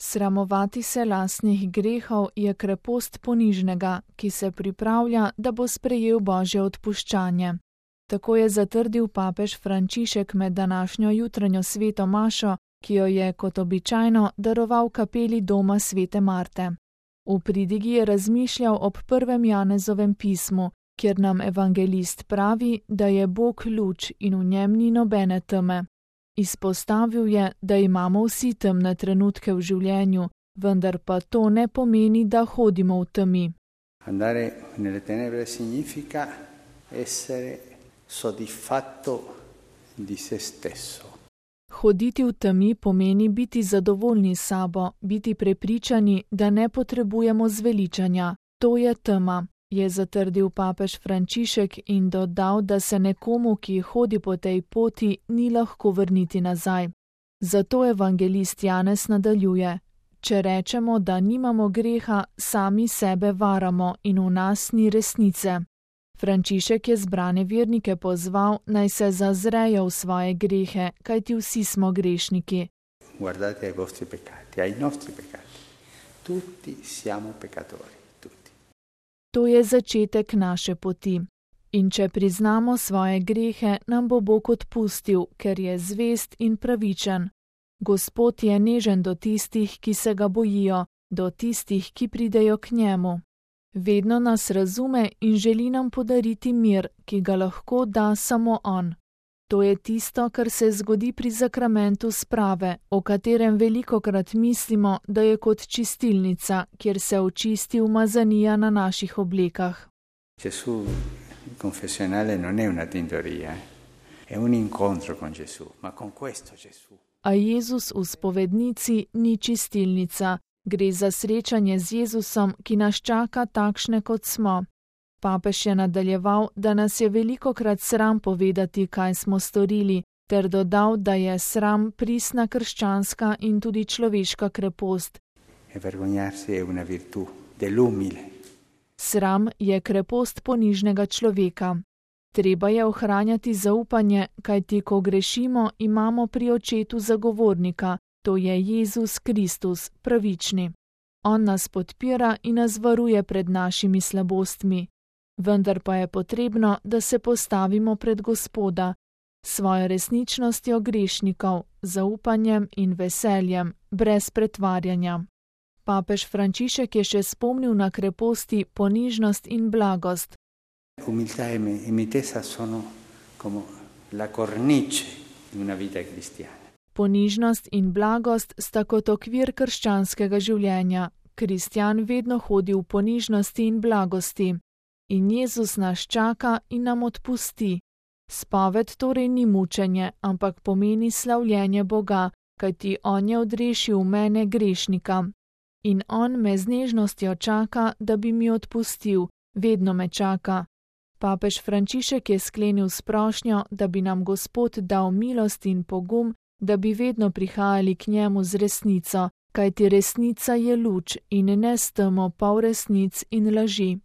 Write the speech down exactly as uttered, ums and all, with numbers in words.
Sramovati se lastnih grehov je krepost ponižnega, ki se pripravlja, da bo sprejel Božje odpuščanje. Tako je zatrdil papež Frančišek med današnjo jutranjo sveto mašo, ki jo je kot običajno daroval kapeli doma svete Marte. V pridigi je razmišljal ob prvem Janezovem pismu, kjer nam evangelist pravi, da je Bog luč in v njem ni nobene teme. Izpostavil je, da imamo vsi temne trenutke v življenju, vendar pa to ne pomeni, da hodimo v temi. Andare nelle tenebre significa essere soddisfatto di se stesso. Hoditi v temi pomeni biti zadovoljni s sabo, biti prepričani, da ne potrebujemo zveličanja. To je tema, je zatrdil papež Frančišek in dodal, da se nekomu, ki hodi po tej poti, ni lahko vrniti nazaj. Zato evangelist Janez nadaljuje: če rečemo, da nimamo greha, sami sebe varamo in v nas ni resnice. Frančišek je zbrane vernike pozval, naj se zazrejo v svoje grehe, kajti vsi smo grešniki. Guardate ai vostri peccati, ai nostri peccati. Tutti siamo peccatori, tutti. To je začetek naše poti. In če priznamo svoje grehe, nam bo Bog odpustil, ker je zvest in pravičen. Gospod je nežen do tistih, ki se ga bojijo, do tistih, ki pridejo k njemu. Vedno nas razume in želi nam podariti mir, ki ga lahko da samo on. To je tisto, kar se zgodi pri zakramentu sprave, o katerem velikokrat mislimo, da je kot čistilnica, kjer se očisti umazanija na naših oblekah. Gesù confessionale non è una tintoria, è un incontro con Gesù, ma con questo Gesù. A Jezus v spovednici ni čistilnica. Gre za srečanje z Jezusom, ki nas čaka takšne, kot smo. Papež je nadaljeval, da nas je velikokrat sram povedati, kaj smo storili, ter dodal, da je sram pristna krščanska in tudi človeška krepost. Sram je krepost ponižnega človeka. Treba je ohranjati zaupanje, kajti ko grešimo, imamo pri Očetu zagovornika. To je Jezus Kristus, pravični. On nas podpira in nas varuje pred našimi slabostmi. Vendar pa je potrebno, da se postavimo pred Gospoda, svojo resničnostjo grešnikov, zaupanjem in veseljem, brez pretvarjanja. Papež Frančišek je še spomnil na kreposti ponižnost in blagost. Umiltà e mitezza sono come la cornice di una vita cristiana. Ponižnost in blagost sta kot okvir krščanskega življenja. Kristjan vedno hodi v ponižnosti in blagosti. In Jezus nas čaka in nam odpusti. Spoved torej ni mučenje, ampak pomeni slavljenje Boga, kajti On je odrešil mene grešnika. In On me z nežnostjo čaka, da bi mi odpustil, vedno me čaka. Papež Frančišek je sklenil s prošnjo, da bi nam Gospod dal milost in pogum, da bi vedno prihajali k njemu z resnico, kajti resnica je luč in ne s temo polresnic in laži.